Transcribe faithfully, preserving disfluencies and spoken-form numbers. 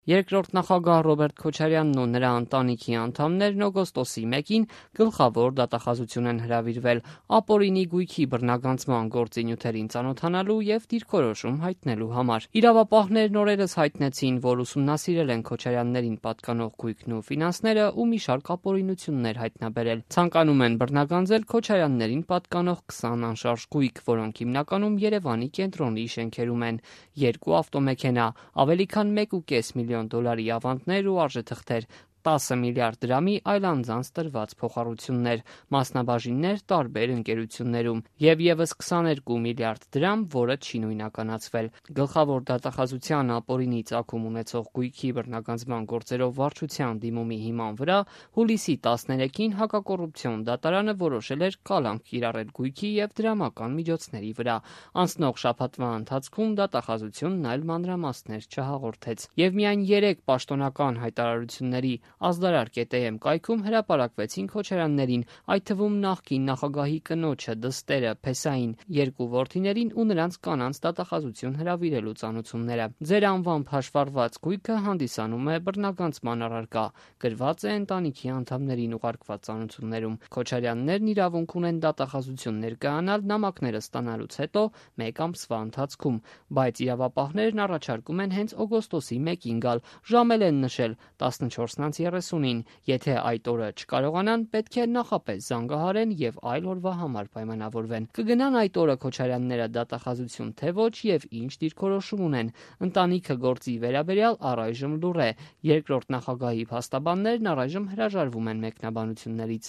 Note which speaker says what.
Speaker 1: Երկրորդ նախագահ Ռոբերտ Քոչարյանն ու նրա ընտանիքի անդամներն օգոստոսի մեկին գլխավոր դատախազություն են հրավիրվել ապօրինի գույքի բռնագանձման գործի նյութերին ծանոթանալու եւ դիրքորոշում հայտնելու համար։ Իրավապահներն օրերս հայտնեցին, որ ուսումնասիրել են Քոչարյաններին պատկանող գույքն ու ֆինանսները ու մի շարք ապօրինություններ հայտնաբերել։ Ցանկանում են բռնագանձել Քոչարյաններին պատկանող քսան անշարժ գույք, որոնք հիմնականում Երևանի կենտրոնի շենքերում են՝ երկու ավտոմեքենա, ավելի քան մեկ ու կես միլիոն դոլարի ավանդներ ու արժեթղթեր, տասը միլիարդ դրամի այլ անձանց տրված փոխառություններ, մասնաբաժիններ տարբեր ընկերություններում եւ եւս քսաներկու միլիարդ դրամ, որը չի նույնականացվել։ Գլխավոր դատախազության ապօրինի ծագում ունեցող գույքի բռնագանձման գործերով վարչության դիմումի հիման վրա հուլիսի տասներեքին հակակոռուպցիոն դատարանը որոշել էր կալանք կիրառել գույքի եւ դրամական միջոցների վրա։ Անցնող շաբաթվա ընթացքում դատախազությունն այլ մանրամասներ չհաղորդեց եւ միայն երեք պաշտոնական հայտարարությունների ազդարար կետ-եմ կայքում հրապարակվեցին Քոչարյաններին, այդ թվում նախկին նախագահի կնոջը, դստերը, Փեսային, երկու որդիներին ու նրանց կանանց դատախազություն հրավիրելու ծանուցումները։ Ձեր անվամբ հաշվառված գույքը հանդիսանում է բռնագանձման առարկա, գրված է ընտանիքի անդամներին ուղարկված ծանուցումներում։ Քոչարյաններն իրավունք ունեն դատախազություն ներկայանալ նամակները ստանալուց հետո մեկ ամսվա ընթացքում, բայց իրավապահներն առաջարկում են հենց օգոստոսի մեկին գալ, ժամել են նշել տասնչորսից երեսունին, եթե այդ օրը չկարողանան, պետք է նախապես զանգահարեն եւ այլ օրվա համար պայմանավորվեն։ Կգնան այդ օրը Քոչարյանները դատախազություն թե ոչ եւ ինչ դիրքորոշում ունեն։ Ընտանիքը գործի վերաբերյալ առայժմ լուռ է։ Երկրորդ նախագահի փաստաբաններն առայժմ հրաժարվում են մեկնաբանություններից։